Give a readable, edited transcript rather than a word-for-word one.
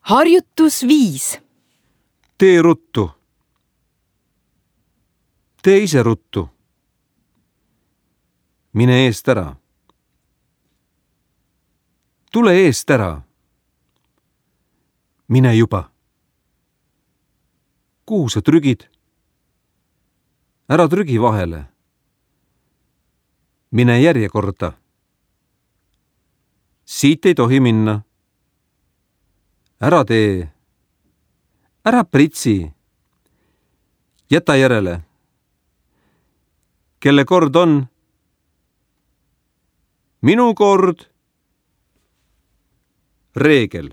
Harjutus 5. Tee ruttu. Tee ise ruttu. Mine eest ära. Tule eest ära. Mine juba. Kuhu sa trügid? Ära trügi vahele. Mine järjekorda. Siit ei tohi minna. Ära tee. Ära pritsi. Jäta järele. Kelle kord on? Minu kord. Reegel.